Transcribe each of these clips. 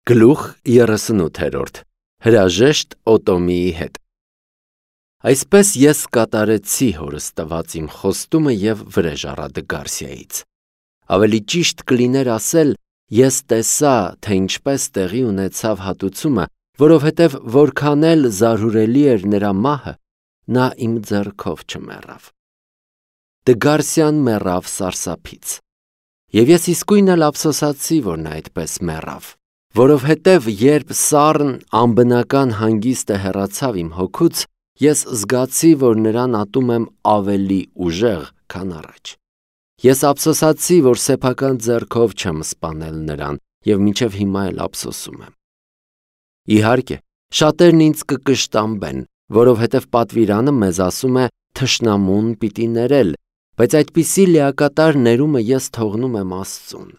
Գլուխ 38 Հրաժեշտ Օտոմիի հետ Այսպես ես կատարեցի հորս տված իմ խոստումը և վրեժ առա Դգարսիայից։ Ավելի ճիշտ կլիներ ասել, ես տեսա, թե ինչպես տեղի ունեցավ հատուցումը, որովհետև որքան էլ զարհուրելի էր նրա մահը, նա իմ ձեռքով չմեռավ։ Դգարսիան մեռավ սարսափից։ Եվ ես իսկույն էլ ափսոսացի, որ նա այդպես մեռավ, որովհետև երբ սառն անբնական հանգիստը հեռացավ իմ հոգուց, ես զգացի, որ նրան ատում եմ ավելի ուժեղ, քան առաջ։ Ես ափսոսացի, որ սեփական ձեռքով չեմ սպանել նրան և մինչև հիմա էլ ափսոսում եմ։ Իհարկե, շատերն ինձ կկշտամբեն, որովհետև պատվիրանը մեզ ասում է թշնամուն պիտի ներել, բայց այդպիսի լիակատար ներումը ես թողնում եմ Աստծուն։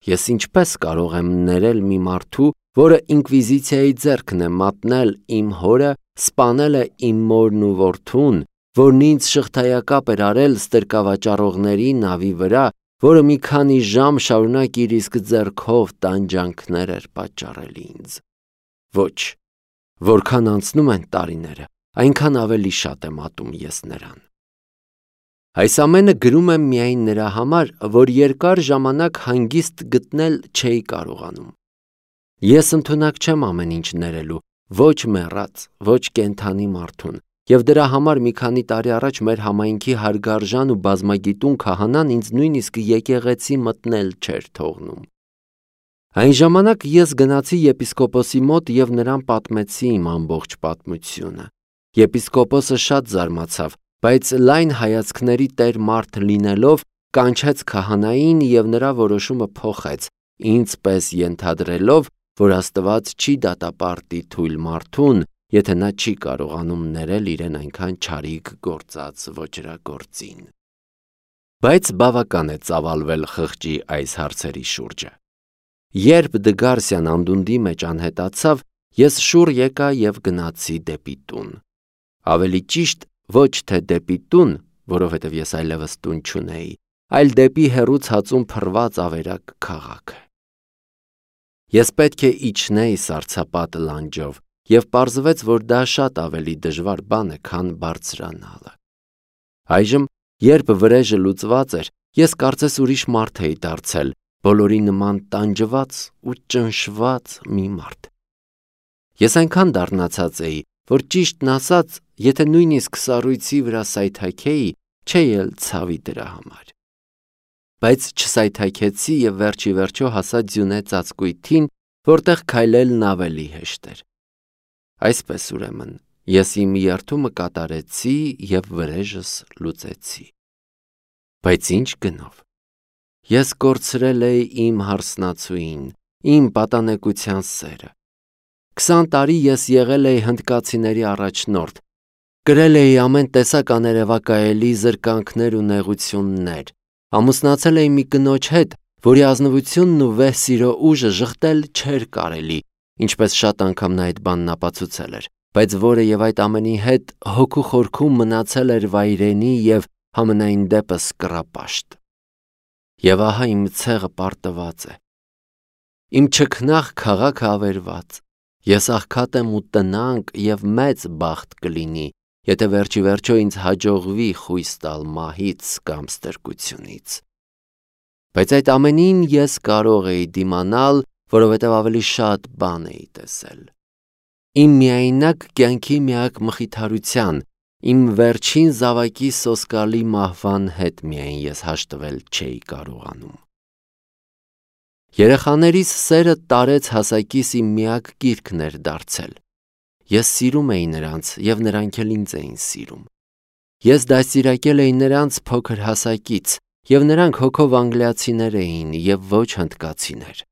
Ես ինչպես կարող եմ ներել մի մարդու, որը ինկվիզիցիայի ձեռքն է մատնել իմ հորը, սպանել է իմ մորն ու որդուն, որն ինձ շղթայակապ էր արել ստրկավաճառողների նավի վրա, որը մի քանի ժամ շարունակ իր իսկ ձեռքով տանջանքներ էր պատճառել ինձ։ Ոչ, որքան անցնում են տարիները, այնքան ավելի շատ եմ ատում ես նրան։ Այս ամենը գրում եմ միայն նրա համար, որ երկար ժամանակ հանգիստ գտնել չէի կարողանում։ Ես ընդունակ չեմ ամեն ինչ ներելու, ոչ մեռած, ոչ կենդանի մարդուն, և դրա համար մի քանի տարի առաջ մեր համայնքի հարգարժան ու բազմագիտուն քահանան ինձ նույնիսկ եկեղեցի մտնել չէր թողնում։ Այն ժամանակ ես գնացի եպիսկոպոսի մոտ և նրան պատմեցի իմ ամբողջ պատմությունը։ Եպիսկոպոսը շատ զարմացավ, բայց լայն հայացքների տեր մարդ լինելով, կանչեց քահանային և նրա որոշումը փոխեց, ինձ պես ենթադրելով, որ Աստված չի դատապարտի թույլ մարդուն, եթե նա չի կարողանում ներել իրեն այնքան չարիք գործած ոճրագործին։ Բայց բավական է ծավալվել խղճի այս հարցերի շուրջը։ Երբ Դգարսիան անդունդի մեջ անհետացավ, ես շուռ եկա և գնացի դեպի տուն։ Ավելի ճիշտ, ոչ թե դեպի տուն, որովհետև ես այլևս տուն չունեի, այլ դեպի հեռու ցածուն փռված ավերակ քաղաքը։ Ես պետք է իջնեի սառցապատ լանջով, և պարզվեց, որ դա շատ ավելի դժվար բան է, քան բարձրանալը։ Այժմ, երբ վրեժը լուծված էր, ես կարծես ուրիշ մարդ էի դարձել, բոլորի նման տանջված ու ճնշված մի մարդ։ Ես այնքան դառնացած էի, որ ճիշտն ասած, եթե նույնիսկ սառույցի վրա սայթաքեի, չէի էլ ցավի դրա համար։ Բայց չսայթաքեցի և վերջ ի վերջո հասա ձյունե ծածկույթին, որտեղ քայլելն ավելի հեշտ էր։ Այսպես ուրեմն, ես իմ երդումը կատարեցի և վրեժս լուծեցի։ Բայց ինչ գնով։ Ես կորցրել էի իմ հարսնացուին, իմ պատանեկության սերը։ 20 տարի ես եղել էի հնդկացիների առաջնորդ, կրել էի ամեն տեսակ աներևակայելի զրկանքներ ու նեղություններ, ամուսնացել էի մի կնոջ հետ, որի ազնվությունն ու վեհ սիրո ուժը ժխտել չէր կարելի, ինչպես շատ անգամ նա այդ բանն ապացուցել էր, բայց որը և այդ ամենի հետ հոգու խորքում մնացել էր վայրենի և համենայն դեպս կռապաշտ։ Եվ ահա իմ ցեղը պարտված է։ Իմ չքնաղ քաղաքը ավերված, ես աղքատ եմ ու տնանկ և մեծ բախտ կլինի, եթե վերջ ի վերջո ինձ հաջողվի խույս տալ մահից կամ ստրկությունից։ Բայց այդ ամենին ես կարող էի դիմանալ, որովհետև ավելի շատ բան էի տեսել։ Իմ միայնակ կյանքի միակ մխիթարության, իմ վերջին զավակի սոսկալի մահվան հետ միայն ես հաշտվել չէի կարողանում։ Երեխաներիս սերը տարեց հասակիս իմ միակ կիրքն էր դարձել։ Ես սիրում էի նրանց և նրանք էլ ինձ էին սիրում։ Ես դաստիարակել էի նրանց փոքր հասակից, և նրանք հոգով անգլիացիներ էին և ոչ հնդկացիներ։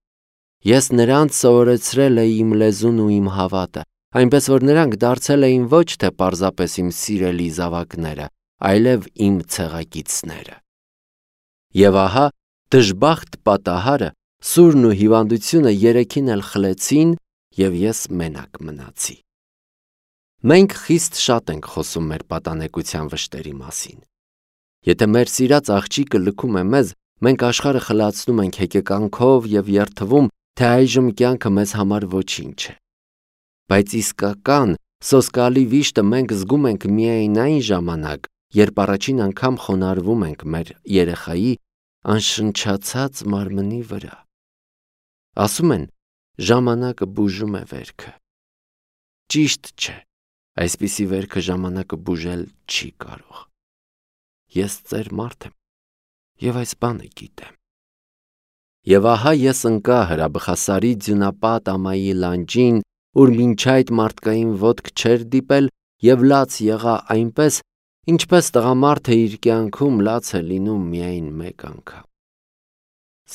Ես նրանց սովորեցրել էի իմ լեզուն ու իմ հավատը, այնպես որ նրանք դարձել էին ոչ թե պարզապես իմ սիրելի զավակները, այլև իմ ցեղակիցները։ Եվ ահա դժբախտ պատահարը, սուրն ու հիվանդությունը երեքին էլ խլեցին, և ես մենակ մնացի։ Մենք խիստ շատ ենք խոսում մեր պատանեկության վշտերի մասին։ Եթե մեր սիրած աղջիկը լքում է մեզ, մենք աշխարհը խլացնում ենք հեկեկանքով և երդվում, թե այժմ կյանքը մեզ համար ոչինչ է։ Բայց իսկական սոսկալի վիշտը մենք զգում ենք միայն այն ժամանակ, երբ առաջին անգամ խոնարհվում ենք մեր երեխայի անշնչացած մարմնի վրա։ Ասում են, ժամանակը բուժում է վերքը։ Ճիշտ չէ, այսպիսի վերքը ժամանակը բուժել չի կարող։ Ես ծեր մարդ եմ, և այս բանը գիտեմ։ Եվ ահա ես ընկա հրաբխասարի ձյունապատ ամայի լանջին, ուր մինչ այդ մարդկային ոտք չէր դիպել, և լաց եղա այնպես, ինչպես տղամարդը իր կյանքում լաց է լինում միայն մեկ անգամ։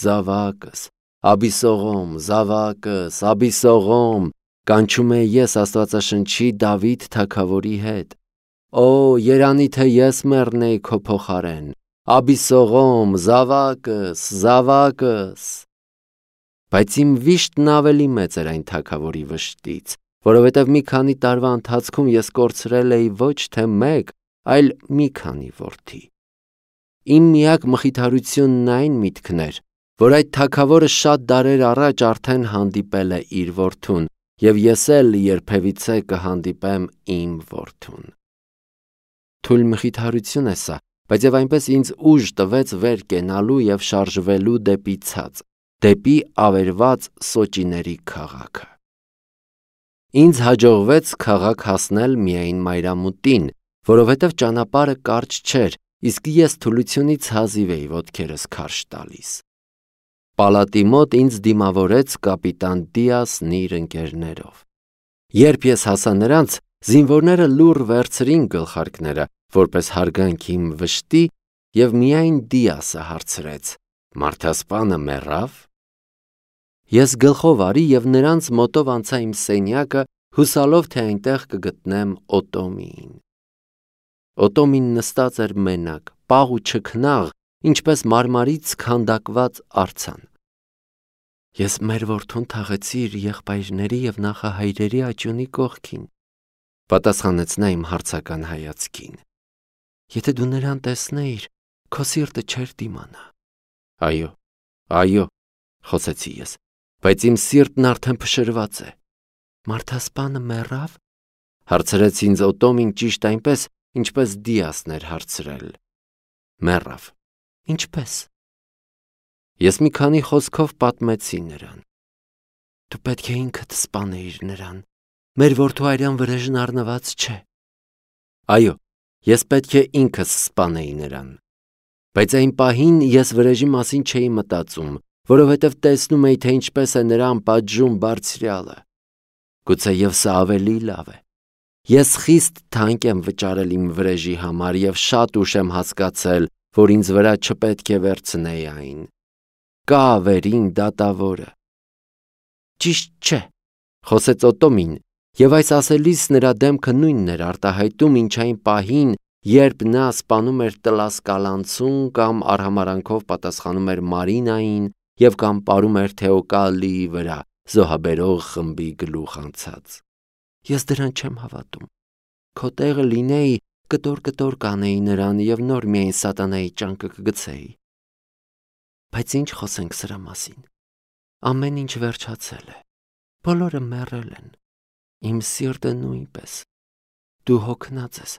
Զավակս, Աբիսողոմ, զավակս, Աբիսողոմ, կանչում էի ես Աստվածաշնչի Դավիթ թագավորի հետ։ Օ, երանի թե ես մեռնեի քո փոխարեն, Աբիսողոմ, զավակս, զավակս։ Բայց իմ վիշտն ավելի մեծ էր այն թագավորի վշտից, որովհետև մի քանի տարվա ընթացքում ես կորցրել էի ոչ թե մեկ, այլ մի քանի որդի։ Իմ միակ մխիթարությունն այն միտքն էր, որ այդ թագավորը շատ դարեր առաջ արդեն հանդիպել է իր որդուն, և ես էլ երբևիցե կհանդիպեմ իմ որդուն։ Թույլ մխիթարություն է սա, բայց և այնպես ինձ ուժ տվեց վեր կենալու և շարժվելու դեպի ցած, դեպի ավերված սոճիների քաղաքը։ Ինձ հաջողվեց քաղաք հասնել միայն մայրամուտին, որովհետև ճանապարհը կարճ չէր, իսկ ես թուլությունից հազիվ էի ոտքերս քարշ տալիս։ Պալատի մոտ ինձ դիմավորեց կապիտան Դիասն իր ընկերներով։ Երբ ես հասա նրանց, զինվորները լուռ վերցրին գլխարկները, որպես հարգանք իմ վշտի, և միայն Դիասը հարցրեց. «Մարդասպանը մեռավ»։ Ես գլխով արի և նրանց մոտով անցա իմ սենյակը, հուսալով, թե այնտեղ կգտնեմ Օտոմիին։ Օտոմին նստած էր մենակ, պաղ ու չքնաղ, ինչպես մարմարից քանդակված արձան։ Ես մեր որդուն թաղեցի իր եղբայրների և նախահայրերի աճյունի կողքին, պատասխանեց նա իմ հարցական հայացքին։ Եթե դու նրան տեսնեիր, քո սիրտը չէր դիմանա։ Այո, այո, խոսեցի ես, բայց իմ սիրտն արդեն փշրված է։ Մարդասպանը մեռավ, հարցրեց ինձ Օտոմին ճիշտ այնպես, ինչպես Դիասն էր հարցրել։ Մեռավ։ Ինչպե՞ս։ Ես մի քանի խոսքով պատմեցի նրան։ Դու պետք է ինքդ սպանեիր նրան։ Մեր որդու արյան վրեժն առնված չէ։ Այո, ես պետք է ինքս սպանեի նրան։ Բայց այն պահին ես վրեժի մասին չէի մտածում, որովհետև տեսնում էի, թե ինչպես է նրան պատժում Բարձրյալը։ Գուցեև սա ավելի լավ է։ Ես խիստ թանկ եմ վճարել իմ վրեժի համար և շատ ուշ եմ հասկացել, որ ինձ վրա չպետք է վերցնեի այն։ Կա վերին դատավորը։ Ճիշտ չէ, խոսեց Օտոմին, և այս ասելիս նրա դեմքը նույնն էր արտահայտում, ինչ այն պահին, երբ նա սպանում էր Տլասկալանցուն կամ արհամարհանքով պատասխանում էր Մարինային և կամ պարում էր Թեոկալիի վրա զոհաբերող խմբի գլուխ անցած։ Ես դրան չեմ հավատում։ Քո տեղը լինեի, կտոր կանեի նրան և նոր միայն սատանայի ճանկը կգցեի։ Բայց ինչ խոսենք սրա մասին։ Ամեն ինչ վերջացել է։ Բոլորը մեռել են։ Իմ սիրտը նույնպես։ Դու հոգնած ես,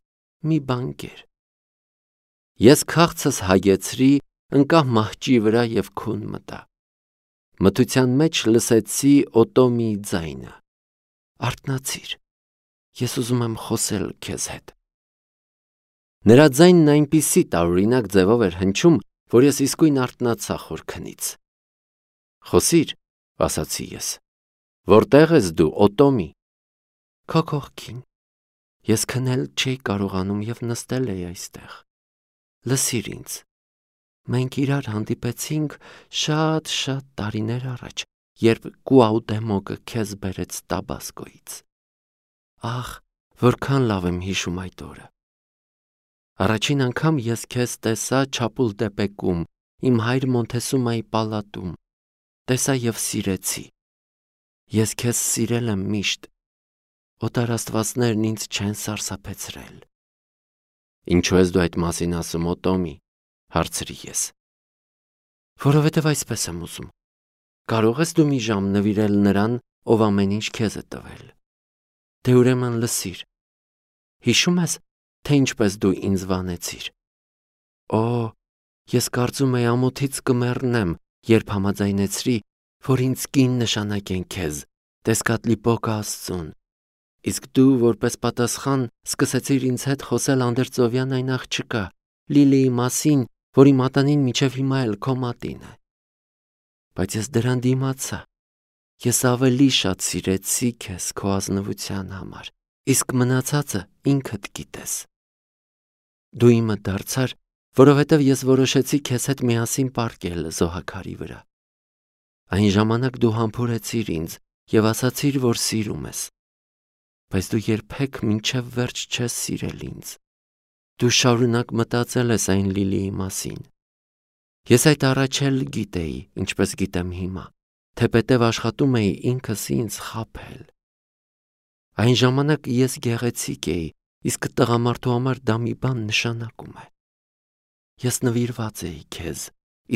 մի բան կեր։ Ես քաղցս հագեցրի, ընկա մահճի վրա և քուն մտա։ Մթության մեջ լսեցի Օտոմիի ձայնը. Արթնացիր, ես ուզում եմ խոսել քեզ հետ։ Նրա ձայնն այնպիսի տարօրինակ ձևով էր հնչում, որ ես իսկույն արթնացա խորքնից։ Խոսիր, ասացի ես։ Որտեղ ես դու, Օտոմի։ Քո կողքին։ Ես քնել չէի կարողանում և նստել էի այստեղ։ Լսիր ինձ։ Մենք իրար հանդիպեցինք շատ տարիներ առաջ, երբ Կուաուտեմոկը քեզ բերեց Տաբասկոից։ Ահ, որքան լավ եմ հիշում այդ օրը։ Առաջին անգամ ես քեզ տեսա Չապուլտեպեկում, իմ հայր Մոնթեսումայի պալատում։ Տեսա և սիրեցի։ Ես քեզ սիրել եմ միշտ։ Օտար աստվածներն ինձ չեն սարսափեցրել։ Ինչու ես դու այդ մասին ասում, Օտոմի, հարցրի ես։ Որովհետև այսպես եմ ուզում։ Կարող ես դու մի ժամ նվիրել նրան, ով ամեն ինչ քեզ է տվել։ Դե ուրեմն լսիր։ Հիշում ես, թե ինչպես դու ինձ վանեցիր։ Օ, ես կարծում էի ամոթից կմեռնեմ, երբ համաձայնեցրի, որ ինձ կին նշանակեն քեզ, Տեսկատլիպոկը Աստծուն։ Իսկ դու որպես պատասխան սկսեցիր ինձ հետ խոսել անդերձովյան այն աղջկա, Լիլիի մասին, որի մատանին մինչև հիմա էլ քո մատին է։ Բայց ես դրան դիմացա։ Ես ավելի շատ սիրեցի քեզ քո ազնվության համար, իսկ մնացածը ինքդ գիտես։ Դու իմը դարձար, որովհետև ես որոշեցի քեզ հետ միասին պառկել զոհաքարի վրա։ Այն ժամանակ դու համբուրեցիր ինձ և ասացիր, որ սիրում ես։ Բայց դու երբեք մինչև վերջ չես սիրել ինձ։ Դու շարունակ մտածել ես այն Լիլիի մասին։ Ես այդ առաջ էլ գիտեի, ինչպես գիտեմ հիմա, թեպետև աշխատում էի ինքս ինձ խաբել։ Այն ժամանակ ես գեղեցիկ էի, իսկ տղամարդու համար դա մի բան նշանակում է։ Ես նվիրված էի քեզ,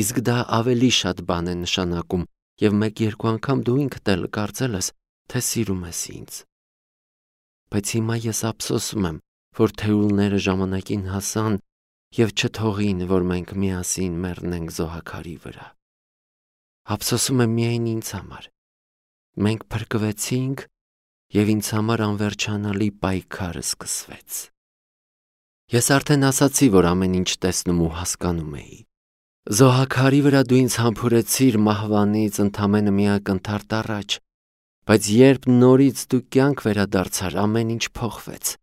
իսկ դա ավելի շատ բան է նշանակում, և մեկ-երկու անգամ դու ինքդ էլ կարծել ես, թե սիրում ես ինձ։ Բայց հիմա ես ափսոսում եմ, որ թեյուլները ժամանակին հասան և չթողին, որ մենք միասին մեռնենք զոհաքարի վրա։ Ափսոսում եմ միայն ինձ համար։ Մենք փրկվեցինք, և ինձ համար անվերջանալի պայքարը սկսվեց։ Ես արդեն ասացի, որ ամեն ինչ տեսնում ու հասկանում էի։ Զոհաքարի վրա դու ինձ համբուրեցիր մահվանից ընդամենը մի ակնթարթ առաջ, բայց երբ նորից դու կյանք վերադարձար, ամեն ինչ փոխվեց։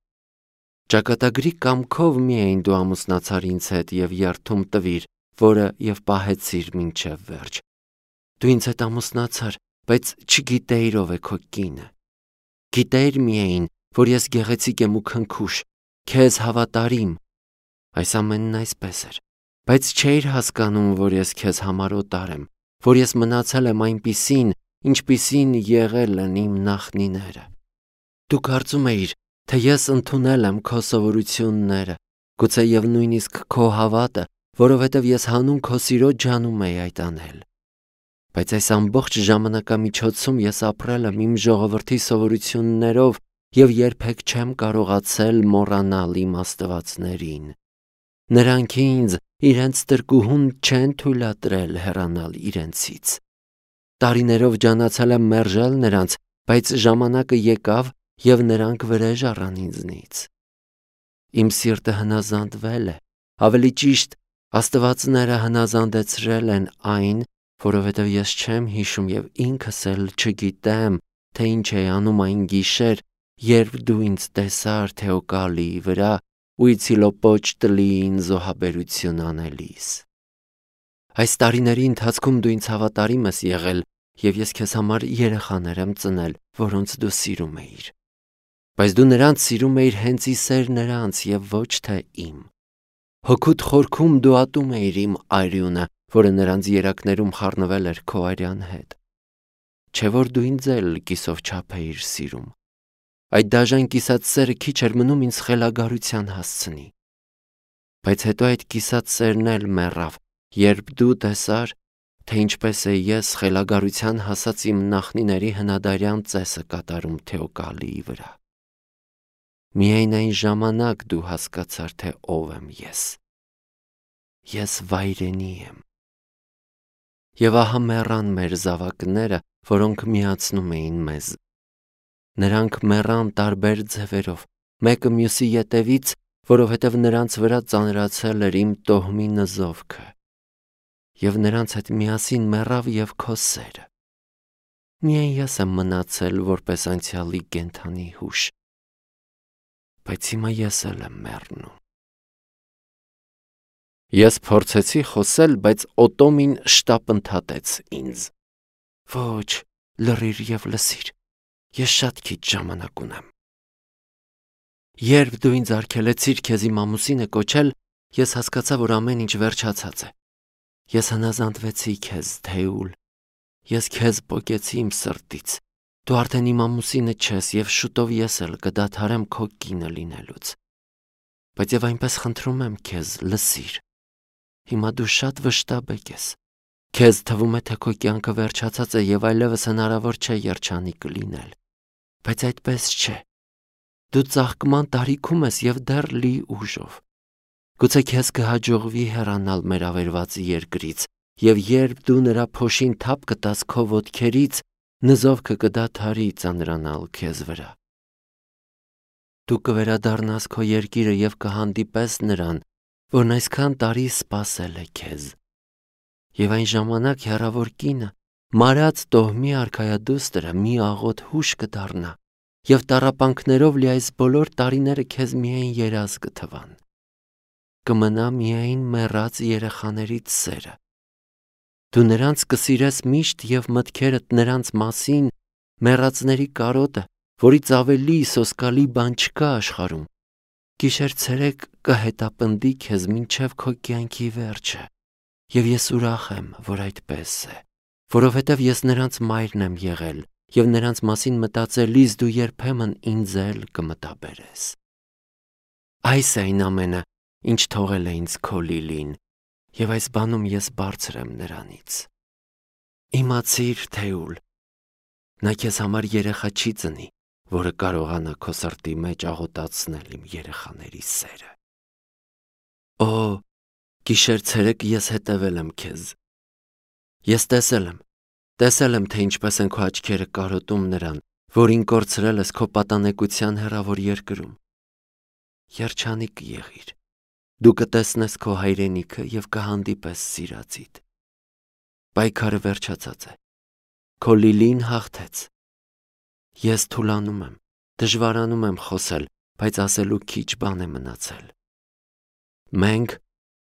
Ճակատագրի կամքով միայն դու ամուսնացար ինձ հետ և երդում տվիր, որը և պահեցիր մինչև վերջ։ Դու ինձ հետ ամուսնացար, բայց չգիտեիր ով է քո կինը։ Գիտեիր միայն, որ ես գեղեցիկ եմ ու քնքուշ, քեզ հավատարիմ։ Այս ամենն այսպես էր, բայց չէիր հասկանում, որ ես քեզ համար օտար եմ, որ ես մնացել եմ այնպիսին, ինչպիսին եղել են իմ նախնիները։ Դու կարծում էիր, թե ես ընդունել եմ քո սովորությունները, գուցեև նույնիսկ քո հավատը, որովհետև ես հանուն քո սիրո ջանում էի այդ անել։ Բայց այս ամբողջ ժամանակամիջոցում ես ապրել եմ իմ ժողովրդի սովորություններով և երբեք չեմ կարողացել մոռանալ իմ աստվածներին։ Նրանք ինձ իրենց տրկուհուն չեն թույլատրել հեռանալ իրենցից։ Տարիներով ջանացել եմ մերժել նրանց, բայց ժամանակը եկավ և նրանք վրեժ առան ինձնից։ Իմ սիրտը հնազանդվել է, ավելի ճիշտ, աստվածները հնազանդեցրել են այն, որովհետև ես չեմ հիշում և ինքս էլ չգիտեմ, թե ինչ էի անում այն գիշեր, երբ դու ինձ տեսար Թեոկալիի վրա Ուիցիլոպոչտլիին զոհաբերություն անելիս։ Այս տարիների ընթացքում դու ինձ հավատարիմ ես եղել, և ես քեզ համար երեխաներ եմ ծնել, որոնց դու սիրում էիր։ Բայց դու նրանց սիրում էիր հենց ի սեր նրանց և ոչ թե իմ։ Հոգուդ խորքում դու ատում էիր իմ արյունը, որը նրանց երակներում խառնվել էր քո արյան հետ։ Չէ՞ որ դու ինձ էլ կիսով չափ էիր սիրում։ Այդ դաժան կիսած սերը քիչ էր մնում ինձ խելագարության հասցնի։ Բայց հետո այդ կիսած սերն էլ մեռավ, երբ դու տեսար, թե ինչպես է ես խելագարության հասած իմ նախնիների հնադարյան ծեսը կատարում Թեոկալիի վրա։ Միայն այն ժամանակ դու հասկացար, թե ով եմ ես։ Ես վայրենի եմ։ Եվ ահա մեռան մեր զավակները, որոնք միացնում էին մեզ։ Նրանք մեռան տարբեր ձևերով, մեկը մյուսի ետևից, որովհետև նրանց վրա ծանրացել էր իմ տոհմի նզովքը։ Եվ նրանց հետ միասին մեռավ և քո սերը։ Միայն ես եմ մնացել որպես անցյալի կենդանի հուշ։ Բայց հիմա ես էլ եմ մեռնում։ Ես փորձեցի խոսել, բայց Օտոմին շտապ ընդհատեց ինձ։ Ոչ, լռիր և լսիր։ Ես շատ քիչ ժամանակ ունեմ։ Երբ դու ինձ արգելեցիր քեզ իմ ամուսինը կոչել, ես հասկացա, որ ամեն ինչ վերջացած է։ Ես հնազանդվեցի քեզ, Թեուլ։ Ես քեզ պոկեցի իմ սրտից։ Դու արդեն իմ ամուսինը չես և շուտով ես էլ կդադարեմ քո կինը լինելուց։ Բայց և այնպես խնդրում եմ քեզ, լսիր։ Հիմա դու շատ վշտաբեկ ես։ Քեզ թվում է, թե քո կյանքը վերջացած է եւ այլևս հնարավոր չէ երջանիկ լինել, բայց այդպես չէ։ Դու ծաղկման տարիքում ես եւ դեռ լի ուժով։ Գուցե քեզ կհաջողվի հեռանալ մեր ավերված երկրից, եւ երբ դու նրա փոշին թափ կտաս քո ոտքերից, նզովքը կդադարի ծանրանալ քեզ վրա։ Դու կվերադառնաս քո երկիրը եւ կհանդիպես նրան, որն այսքան տարի սպասել է քեզ։ Եվ այն ժամանակ հեռավոր կինը, մարած տոհմի արքայադուստրը մի աղոտ հուշ կդառնա, եւ տառապանքներով լի այս բոլոր տարիները քեզ միայն երազ կթվան։ Կմնա միայն մեռած երեխաներից սերը։ Դու նրանց կսիրես միշտ եւ մտքերդ նրանց մասին մեռածների կարոտը, որից ավելի սոսկալի բան չկա աշխարհում, գիշեր-ցերեկ կհետապնդի քեզ մինչև քո կյանքի վերջը, եւ ես ուրախ եմ, որ այդպես է, որովհետեւ ես նրանց մայրն եմ եղել, եւ նրանց մասին մտածելիս դու երբեմն ինձ էլ կմտաբերես։ Այս է այն ամենը, ինչ թողել է ինձ քո Լիլին, եւ այս բանում ես բարձր եմ նրանից։ Իմացիր, Թեուլ, նա քեզ համար երեխա չի ծնի, որը կարողանա քո սրտի մեջ աղոտացնել իմ երեխաների սերը։ Օ, գիշեր-ցերեկ ես հետևել եմ քեզ։ Ես տեսել եմ, թե ինչպես են քո աչքերը կարոտում նրան, որին կորցրել ես քո պատանեկության հեռավոր երկրում։ Երջանիկ եղիր։ Դու կտեսնես քո հայրենիքը եւ կհանդիպես սիրածիդ։ Պայքարը վերջացած է։ Քո Լիլին հաղթեց։ Ես թուլանում եմ, դժվարանում եմ խոսել, բայց ասելու քիչ բան է մնացել։ Մենք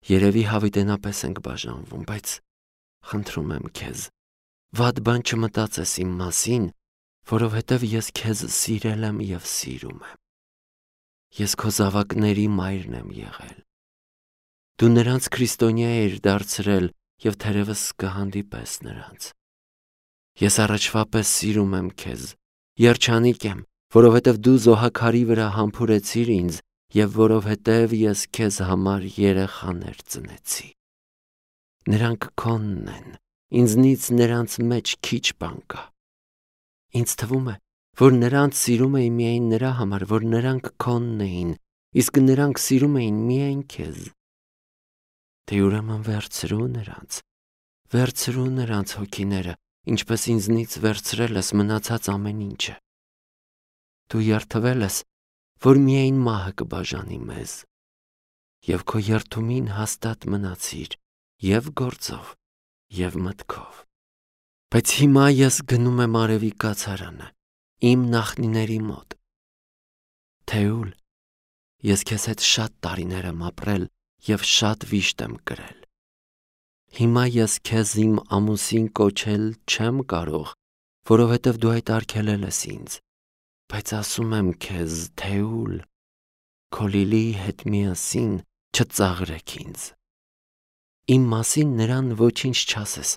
երևի հավիտենապես ենք բաժանվում, բայց խնդրում եմ քեզ, վատ բան չմտածես իմ մասին, որովհետև ես քեզ սիրել եմ եւ սիրում եմ։ Ես քո զավակների մայրն եմ եղել։ Դու նրանց քրիստոնյա էիր դարձրել եւ թերևս կհանդիպես նրանց։ Ես առաջվա պես սիրում եմ քեզ, երջանիկ եմ, որովհետև դու զոհաքարի վրա համբուրեցիր ինձ եւ որովհետև ես քեզ համար երեխաներ ծնեցի։ Նրանք քոնն են, ինձնից նրանց մեջ քիչ բան կա։ Ինձ թվում է, որ նրանց սիրում էի միայն նրա համար, որ նրանք քոնն էին, իսկ նրանք սիրում էին միայն քեզ։ Դե ուրեմն վերցրու նրանց հոգիները, ինչպես ինձնից վերցրել ես մնացած ամեն ինչը։ Դու երդվել ես, որ միայն մահը կբաժանի մեզ, եւ քո երդումին հաստատ մնացիր, եւ գործով, եւ մտքով։ Բայց հիմա ես գնում եմ արևի կացարանը, իմ նախնիների մոտ։ Թեուլ, ես քեզ հետ շատ տարիներ եմ ապրել եւ շատ վիշտ եմ կրել։ Հիմա ես քեզ իմ ամուսին կոչել չեմ կարող, որովհետև դու այդ արգելել ես ինձ, բայց ասում եմ քեզ, Թեուլ, քո Լիլիի հետ միասին չծաղրեք ինձ։ Իմ մասին նրան ոչինչ չասես,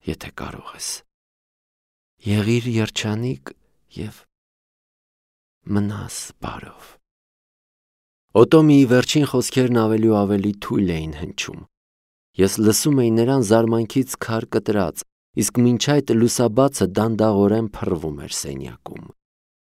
եթե կարող ես։ Եղիր երջանիկ եւ մնաս բարով։ Օտոմիի վերջին խոսքերն ավելի ու ավելի թույլ էին հնչում։ Ես լսում էի նրան զարմանքից քար կտրած, իսկ մինչ այդ լուսաբացը դանդաղորեն փռվում էր սենյակում։